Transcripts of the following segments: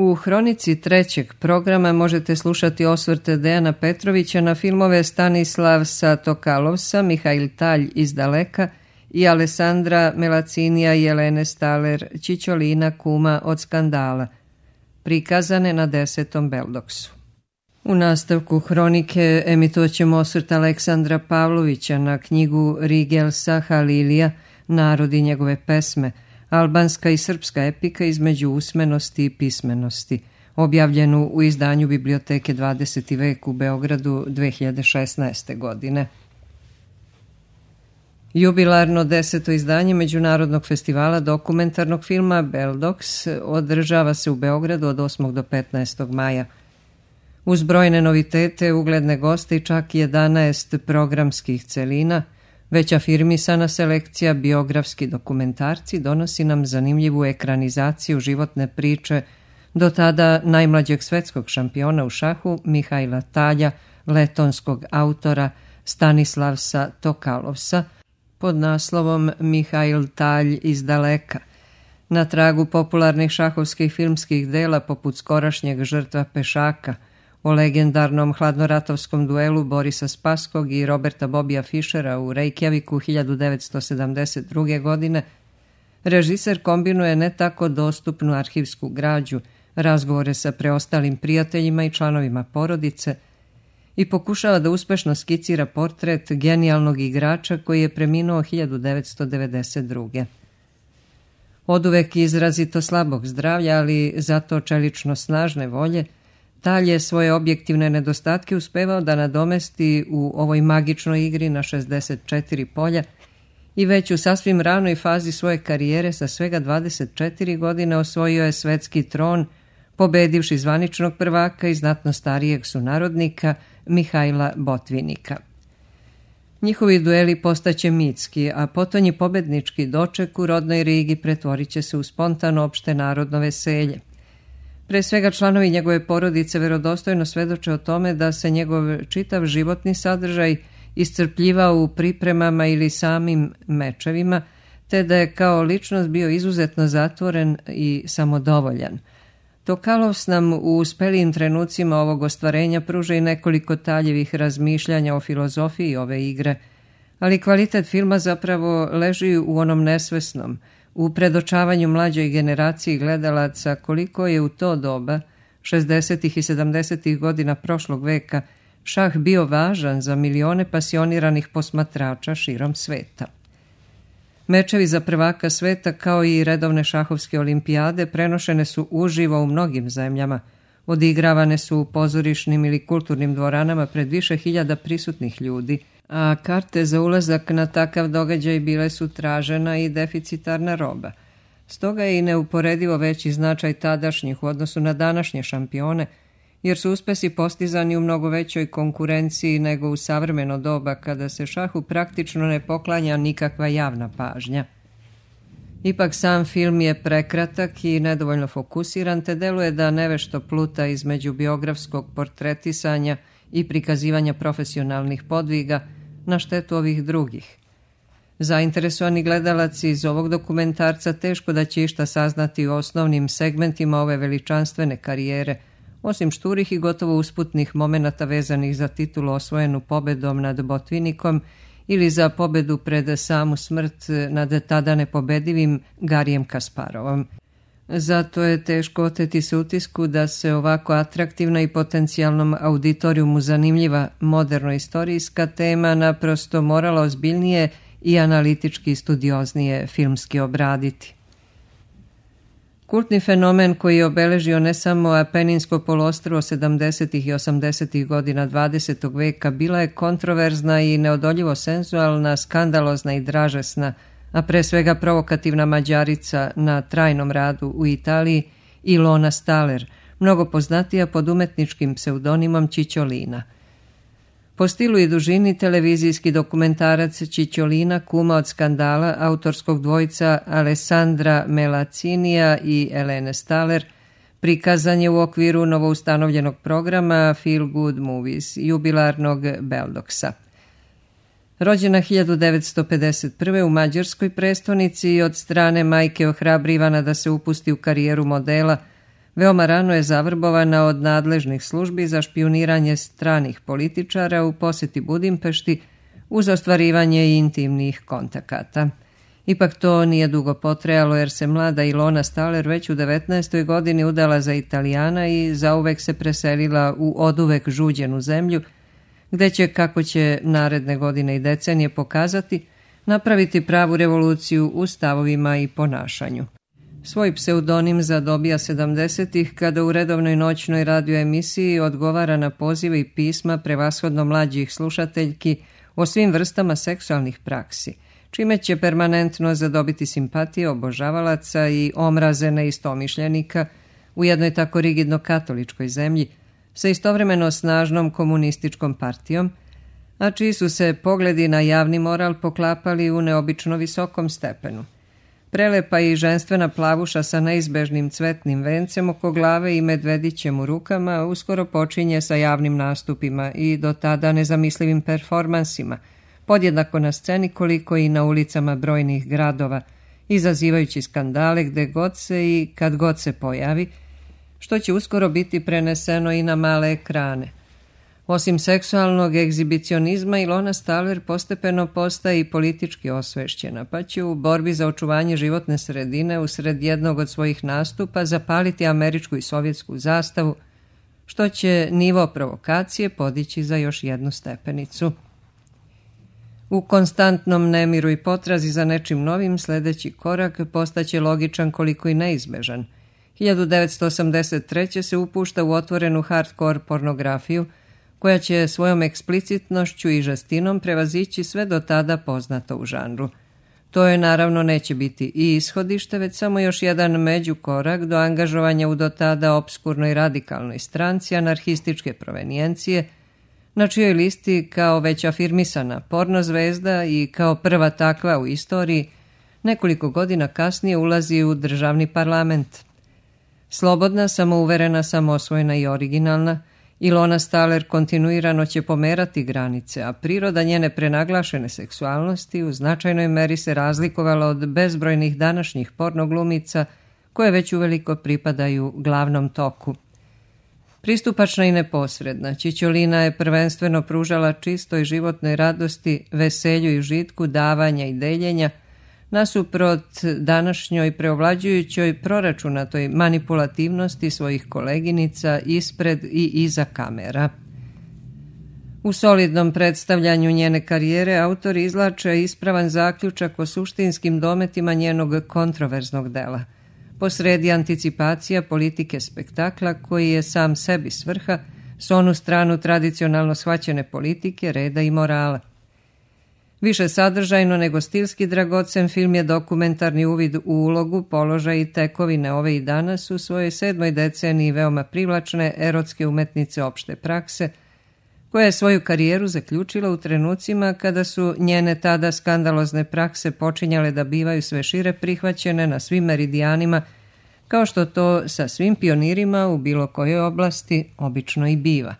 U hronici trećeg programa možete slušati osvrte Dejana Petrovića na filmove Stanislavsa Tokalovsa, Mihail Talj iz Daleka i Alessandra Melacinija i Jelene Staler Čičolina, kuma od Skandala, prikazane na 10. Beldoksu. U nastavku hronike emitovat ćemo osvrt Aleksandra Pavlovića na knjigu Rigelsa Halilija, Narod i njegove pesme, albanska i srpska epika između usmenosti i pismenosti, objavljenu u izdanju Biblioteke 20. vek u Beogradu 2016. godine. Jubilarno 10. izdanje Međunarodnog festivala dokumentarnog filma Beldoks održava se u Beogradu od 8. do 15. maja. Uz brojne novitete, ugledne goste i čak 11 programskih celina, već afirmisana selekcija biografski dokumentarci donosi nam zanimljivu ekranizaciju životne priče do tada najmlađeg svetskog šampiona u šahu Mihaila Talja, letonskog autora Stanislavsa Tokalovsa, pod naslovom Mihail Talj iz Daleka, na tragu popularnih šahovskih filmskih dela poput skorašnjeg Žrtva pešaka, o legendarnom hladnoratovskom duelu Borisa Spaskog i Roberta Bobija Fišera u Reykjaviku 1972. godine, režiser kombinuje ne tako dostupnu arhivsku građu, razgovore sa preostalim prijateljima i članovima porodice i pokušava da uspešno skicira portret genijalnog igrača koji je preminuo 1992. Oduvek izrazito slabog zdravlja, ali zato čelično snažne volje, Talj je svoje objektivne nedostatke uspevao da nadomesti u ovoj magičnoj igri na 64 polja i već u sasvim ranoj fazi svoje karijere sa svega 24 godine osvojio je svetski tron, pobedivši zvaničnog prvaka i znatno starijeg sunarodnika Mihajla Botvinika. Njihovi dueli postaće mitski, a potonji pobednički doček u rodnoj Rigi pretvorit će se u spontano opšte narodno veselje. Pre svega članovi njegove porodice verodostojno svedoče o tome da se njegov čitav životni sadržaj iscrpljivao u pripremama ili samim mečevima, te da je kao ličnost bio izuzetno zatvoren i samodovoljan. Tokalovs nam u uspelijim trenucima ovog ostvarenja pruža i nekoliko Taljevih razmišljanja o filozofiji ove igre, ali kvalitet filma zapravo leži u onom nesvesnom, u predočavanju mlađoj generaciji gledalaca koliko je u to doba, 60. i 70. godina prošlog veka, šah bio važan za milione pasioniranih posmatrača širom sveta. Mečevi za prvaka sveta kao i redovne šahovske olimpijade prenošene su uživo u mnogim zemljama, odigravane su u pozorišnim ili kulturnim dvoranama pred više hiljada prisutnih ljudi, a karte za ulazak na takav događaj bile su tražena i deficitarna roba. Stoga je i neuporedivo veći značaj tadašnjih u odnosu na današnje šampione, jer su uspesi postizani u mnogo većoj konkurenciji nego u savremeno doba kada se šahu praktično ne poklanja nikakva javna pažnja. Ipak sam film je prekratak i nedovoljno fokusiran, te deluje da nevešto pluta između biografskog portretisanja i prikazivanja profesionalnih podviga na štetu ovih drugih. Zainteresovani gledalac iz ovog dokumentarca teško da će išta saznati o osnovnim segmentima ove veličanstvene karijere, osim šturih i gotovo usputnih momenata vezanih za titulu osvojenu pobedom nad Botvinikom ili za pobedu pred samu smrt nad tada nepobedivim Garijem Kasparovom. Zato je teško oteti se utisku da se ovako atraktivna i potencijalnom auditorijumu zanimljiva moderno-istorijska tema naprosto morala ozbiljnije i analitički studioznije filmski obraditi. Kultni fenomen koji je obeležio ne samo Apeninsko poluostrvo 70. i 80. godina 20. veka bila je kontroverzna i neodoljivo senzualna, skandalozna i dražesna, a pre svega provokativna Mađarica na trajnom radu u Italiji Ilona Staler, mnogo poznatija pod umetničkim pseudonimom Čičolina. Po stilu i dužini televizijski dokumentarac Čičolina, kuma od Skandala, autorskog dvojca Alessandra Melacinija i Jelene Staler, prikazan je u okviru novoustanovljenog programa Feel Good Movies, jubilarnog Beldoksa. Rođena 1951. u mađarskoj prestonici i od strane majke ohrabrivana da se upusti u karijeru modela, Veoma rano je zavrbovana od nadležnih službi za špijuniranje stranih političara u poseti Budimpešti uz ostvarivanje intimnih kontakata. Ipak to nije dugo potrajalo jer se mlada Ilona Staller već u 19. godini udala za Italijana i zauvek se preselila u oduvek žuđenu zemlju, gde će, kako će naredne godine i decenije pokazati, napraviti pravu revoluciju u stavovima i ponašanju. Svoj pseudonim zadobija 70-ih kada u redovnoj noćnoj radio emisiji odgovara na pozive i pisma prevashodno mlađih slušateljki o svim vrstama seksualnih praksi, čime će permanentno zadobiti simpatije obožavalaca i omraze neistomišljenika u jednoj tako rigidno katoličkoj zemlji sa istovremeno snažnom komunističkom partijom, a čiji su se pogledi na javni moral poklapali u neobično visokom stepenu. Prelepa i ženstvena plavuša sa neizbežnim cvetnim vencem oko glave i medvedićem u rukama uskoro počinje sa javnim nastupima i do tada nezamislivim performansima, podjednako na sceni koliko i na ulicama brojnih gradova, izazivajući skandale gde god se i kad god se pojavi, što će uskoro biti preneseno i na male ekrane. Osim seksualnog egzibicionizma, Ilona Staller postepeno postaje i politički osvešćena, pa će u borbi za očuvanje životne sredine usred jednog od svojih nastupa zapaliti američku i sovjetsku zastavu, što će nivo provokacije podići za još jednu stepenicu. U konstantnom nemiru i potrazi za nečim novim sledeći korak postaće logičan koliko i neizbežan. 1983. se upušta u otvorenu hardcore pornografiju, koja će svojom eksplicitnošću i žestinom prevazići sve do tada poznato u žanru. To je naravno neće biti i ishodište, već samo još jedan međukorak do angažovanja u do tada obskurnoj radikalnoj stranci anarhističke provenijencije, na čijoj listi kao već afirmisana porno zvezda i kao prva takva u istoriji nekoliko godina kasnije ulazi u državni parlament. Slobodna, samouverena, samoosvojena i originalna, Ilona Staller kontinuirano će pomerati granice, a priroda njene prenaglašene seksualnosti u značajnoj meri se razlikovala od bezbrojnih današnjih pornoglumica koje već uveliko pripadaju glavnom toku. Pristupačna i neposredna, Čičolina je prvenstveno pružala čistoj životnoj radosti, veselju i užitku davanja i deljenja, nasuprot današnjoj preovlađujućoj proračunatoj manipulativnosti svojih koleginica ispred i iza kamera. U solidnom predstavljanju njene karijere autor izlače ispravan zaključak o suštinskim dometima njenog kontroverznog dela. Posredi anticipacija politike spektakla koji je sam sebi svrha s onu stranu tradicionalno shvaćene politike, reda i morala. Više sadržajno nego stilski dragocen film je dokumentarni uvid u ulogu, položaj i tekovine ove i danas u svojoj 7. deceniji veoma privlačne erotske umetnice opšte prakse, koja je svoju karijeru zaključila u trenucima kada su njene tada skandalozne prakse počinjale da bivaju sve šire prihvaćene na svim meridijanima, kao što to sa svim pionirima u bilo kojoj oblasti obično i biva.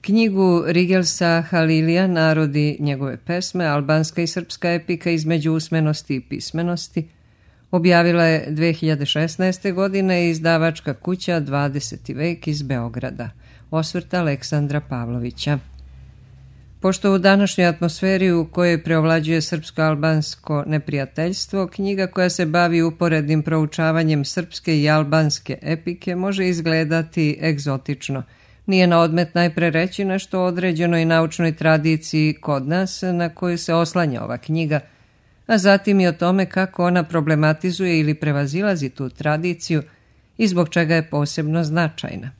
Knjigu Rigelsa Halilija Narodi njegove pesme, albanska i srpska epika između usmenosti i pismenosti, objavila je 2016. godine izdavačka kuća 20. vek iz Beograda. Osvrt Aleksandra Pavlovića. Pošto u današnjoj atmosferi u kojoj preovlađuje srpsko-albansko neprijateljstvo, knjiga koja se bavi uporednim proučavanjem srpske i albanske epike može izgledati egzotično. Nije na odmet najpre reći nešto o određenoj naučnoj tradiciji kod nas na koju se oslanja ova knjiga, a zatim i o tome kako ona problematizuje ili prevazilazi tu tradiciju i zbog čega je posebno značajna.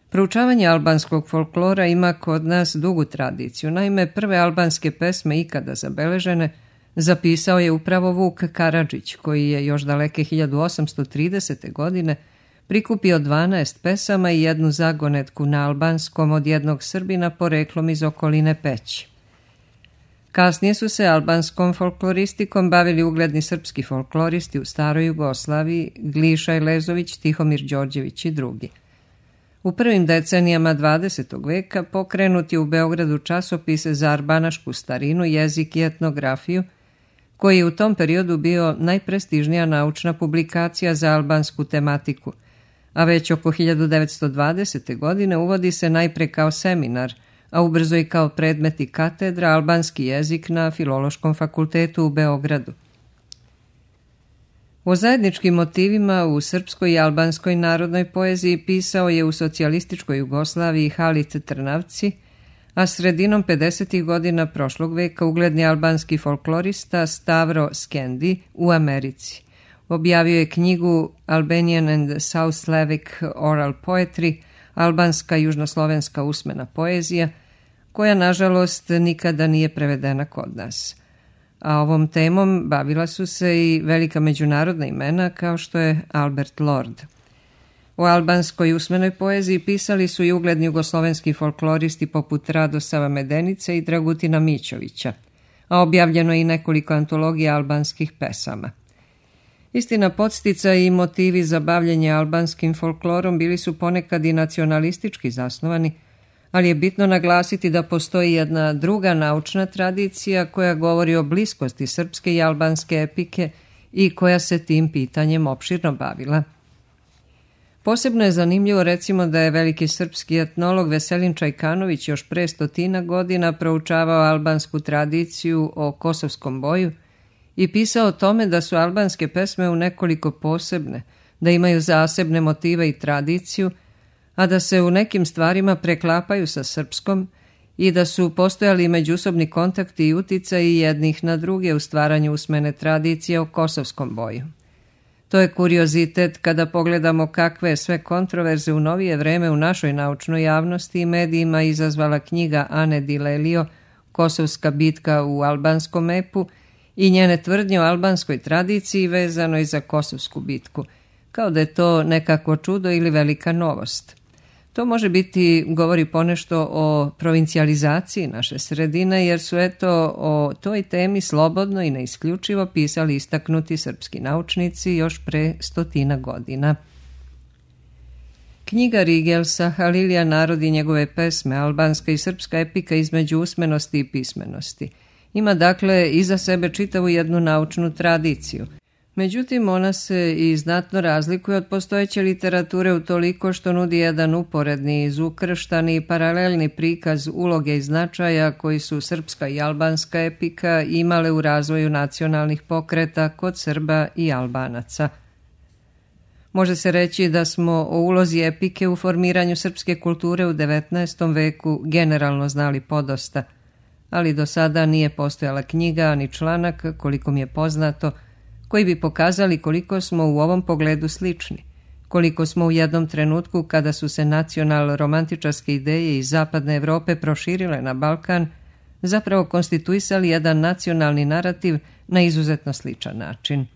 Proučavanje albanskog folklora ima kod nas dugu tradiciju. Naime, prve albanske pesme ikada zabeležene zapisao je upravo Vuk Karadžić, koji je još daleke 1830. godine prikupio 12 pesama i jednu zagonetku na albanskom od jednog Srbina poreklom iz okoline Peći. Kasnije su se albanskom folkloristikom bavili ugledni srpski folkloristi u staroj Jugoslaviji, Gliša Elezović, Tihomir Đorđević i drugi. U prvim decenijama 20. veka pokrenut je u Beogradu časopis za arbanašku starinu, jezik i etnografiju, koji je u tom periodu bio najprestižnija naučna publikacija za albansku tematiku, a već oko 1920. godine uvodi se najpre kao seminar, a ubrzo i kao predmet i katedra albanski jezik na Filološkom fakultetu u Beogradu. O zajedničkim motivima u srpskoj i albanskoj narodnoj poeziji pisao je u socijalističkoj Jugoslaviji Halit Trnavci, a sredinom 50. godina prošlog veka ugledni albanski folklorista Stavro Skendi u Americi. Objavio je knjigu Albanian and South Slavic Oral Poetry, albanska i južnoslovenska usmena poezija, koja nažalost nikada nije prevedena kod nas. A ovom temom bavila su se i velika međunarodna imena kao što je Albert Lord. O albanskoj usmenoj poeziji pisali su i ugledni jugoslovenski folkloristi poput Radosava Medenice i Dragutina Mićovića, a objavljeno je i nekoliko antologija albanskih pesama. Istina, podsticaj i motivi za bavljenje albanskim folklorom bili su ponekad i nacionalistički zasnovani, ali je bitno naglasiti da postoji jedna druga naučna tradicija koja govori o bliskosti srpske i albanske epike i koja se tim pitanjem opširno bavila. Posebno je zanimljivo recimo da je veliki srpski etnolog Veselin Čajkanović još pre 100 godina proučavao albansku tradiciju o kosovskom boju i pisao o tome da su albanske pesme u nekoliko posebne, da imaju zasebne motive i tradiciju, a da se u nekim stvarima preklapaju sa srpskom i da su postojali međusobni kontakti i uticaji jednih na druge u stvaranju usmene tradicije o kosovskom boju. To je kuriozitet kada pogledamo kakve sve kontroverze u novije vreme u našoj naučnoj javnosti i medijima izazvala knjiga Ane Dilelio Kosovska bitka u albanskom epu i njene tvrdnje o albanskoj tradiciji vezanoj za Kosovsku bitku, kao da je to nekako čudo ili velika novost. To može biti, govori ponešto o provincijalizaciji naše sredine, jer su o toj temi slobodno i neisključivo pisali istaknuti srpski naučnici još pre 100 godina. Knjiga Rigelsa, Halilija, narod i njegove pesme, albanska i srpska epika između usmenosti i pismenosti, ima dakle iza sebe čitavu jednu naučnu tradiciju. Međutim, ona se i znatno razlikuje od postojeće literature utoliko što nudi jedan uporedni, izukrštani i paralelni prikaz uloge i značaja koji su srpska i albanska epika imale u razvoju nacionalnih pokreta kod Srba i Albanaca. Može se reći da smo o ulozi epike u formiranju srpske kulture u 19. veku generalno znali podosta, ali do sada nije postojala knjiga ni članak, koliko mi je poznato, koji bi pokazali koliko smo u ovom pogledu slični, koliko smo u jednom trenutku kada su se nacional-romantičarske ideje iz zapadne Evrope proširile na Balkan, zapravo konstituisali jedan nacionalni narativ na izuzetno sličan način.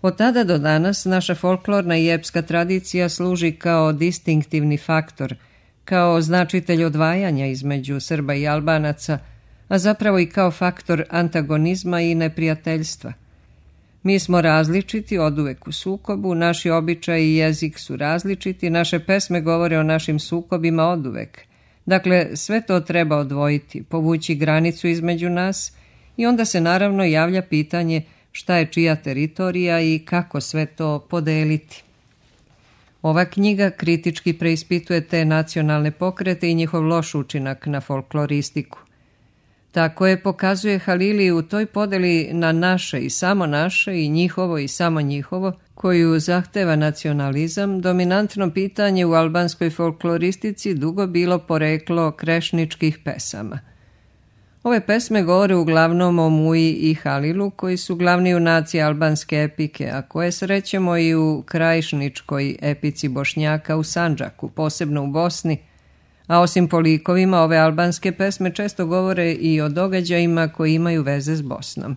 Od tada do danas naša folklorna i epska tradicija služi kao distinktivni faktor, kao značitelj odvajanja između Srba i Albanaca, a zapravo i kao faktor antagonizma i neprijateljstva. Mi smo različiti, oduvek u sukobu, naši običaji i jezik su različiti, naše pesme govore o našim sukobima oduvek. Dakle, sve to treba odvojiti, povući granicu između nas i onda se naravno javlja pitanje šta je čija teritorija i kako sve to podeliti. Ova knjiga kritički preispituje te nacionalne pokrete i njihov loš učinak na folkloristiku. Tako je pokazuje Halili u toj podeli na naše i njihovo i samo njihovo, koju zahteva nacionalizam, dominantno pitanje u albanskoj folkloristici dugo bilo poreklo krešničkih pesama. Ove pesme govore uglavnom o Muji i Halilu, koji su glavni junaci albanske epike, a koje srećemo i u krajišničkoj epici Bošnjaka u Sandžaku, posebno u Bosni, a osim po likovima, ove albanske pesme često govore i o događajima koji imaju veze s Bosnom.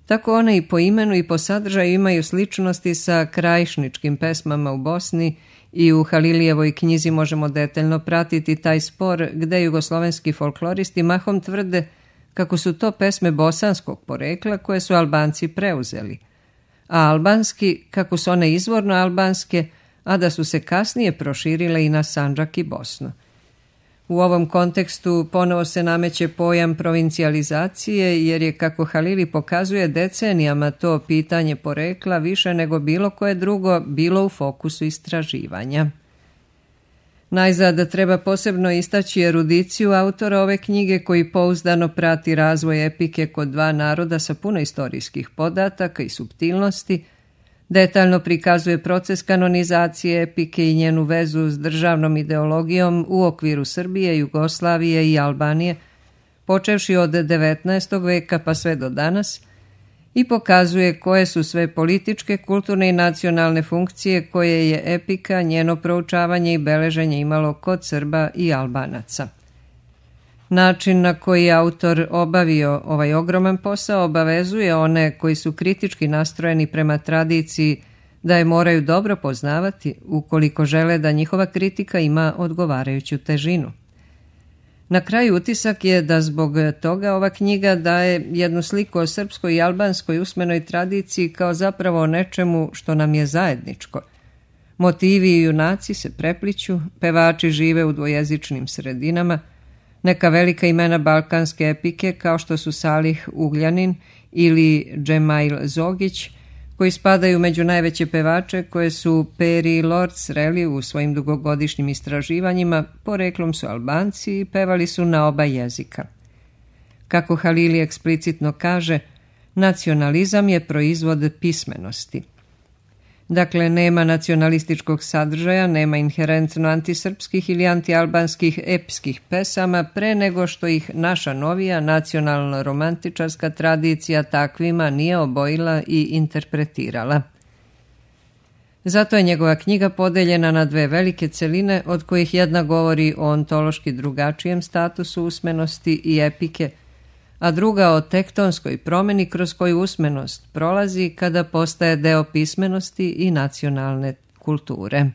Tako one i po imenu i po sadržaju imaju sličnosti sa krajišničkim pesmama u Bosni i u Halilijevoj knjizi možemo detaljno pratiti taj spor gde jugoslovenski folkloristi mahom tvrde kako su to pesme bosanskog porekla koje su Albanci preuzeli, a albanski kako su one izvorno albanske, a da su se kasnije proširile i na Sandžak i Bosnu. U ovom kontekstu ponovo se nameće pojam provincijalizacije, jer je, kako Halili pokazuje, decenijama to pitanje porekla više nego bilo koje drugo bilo u fokusu istraživanja. Najzad treba posebno istaći erudiciju autora ove knjige, koji pouzdano prati razvoj epike kod dva naroda sa puno istorijskih podataka i suptilnosti, detaljno prikazuje proces kanonizacije epike i njenu vezu s državnom ideologijom u okviru Srbije, Jugoslavije i Albanije, počevši od 19. veka pa sve do danas, i pokazuje koje su sve političke, kulturne i nacionalne funkcije koje je epika, njeno proučavanje i beleženje imalo kod Srba i Albanaca. Način na koji je autor obavio ovaj ogroman posao obavezuje one koji su kritički nastrojeni prema tradiciji da je moraju dobro poznavati ukoliko žele da njihova kritika ima odgovarajuću težinu. Na kraju utisak je da zbog toga ova knjiga daje jednu sliku o srpskoj i albanskoj usmenoj tradiciji kao zapravo o nečemu što nam je zajedničko. Motivi i junaci se prepliću, pevači žive u dvojezičnim sredinama, neka velika imena balkanske epike kao što su Salih Ugljanin ili Džemail Zogić, koji spadaju među najveće pevače koje su Peri i Lord sreli u svojim dugogodišnjim istraživanjima, poreklom su Albanci i pevali su na oba jezika. Kako Halili eksplicitno kaže, nacionalizam je proizvod pismenosti. Dakle, nema nacionalističkog sadržaja, nema inherentno antisrpskih ili antialbanskih epskih pesama pre nego što ih naša novija nacionalno-romantičarska tradicija takvima nije obojila i interpretirala. Zato je njegova knjiga podeljena na dve velike celine, od kojih jedna govori o ontološki drugačijem statusu usmenosti i epike, a druga o tektonskoj promjeni kroz koju usmenost prolazi kada postaje deo pismenosti i nacionalne kulture.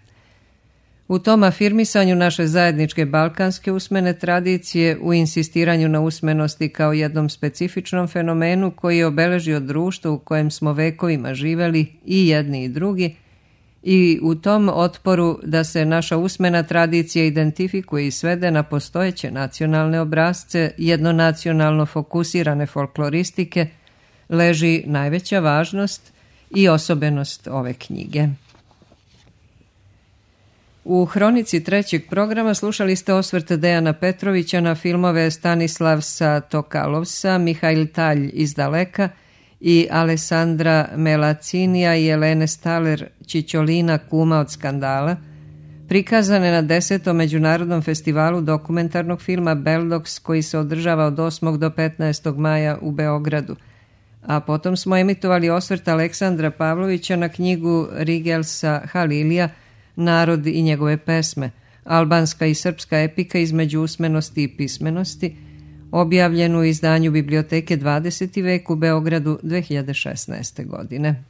U tom afirmisanju naše zajedničke balkanske usmene tradicije, u insistiranju na usmenosti kao jednom specifičnom fenomenu koji je obeležio društvo u kojem smo vekovima živeli i jedni i drugi, i u tom otporu da se naša usmena tradicija identifikuje i svede na postojeće nacionalne obrasce, jednonacionalno fokusirane folkloristike, leži najveća važnost i osobenost ove knjige. U hronici trećeg programa slušali ste osvrt Dejana Petrovića na filmove Stanislavsa Tokalovsa, Mihail Talj iz Daleka i Alessandra Melacinija i Elene Staler Čičolina, kuma od skandala, prikazane na 10. Međunarodnom festivalu dokumentarnog filma Beldox, koji se održava od 8. do 15. maja u Beogradu. A potom smo emitovali osvrt Aleksandra Pavlovića na knjigu Rigelsa Halilija Narod i njegove pesme, albanska i srpska epika između usmenosti i pismenosti, objavljenu u izdanju Biblioteke 20. vek u Beogradu 2016. godine.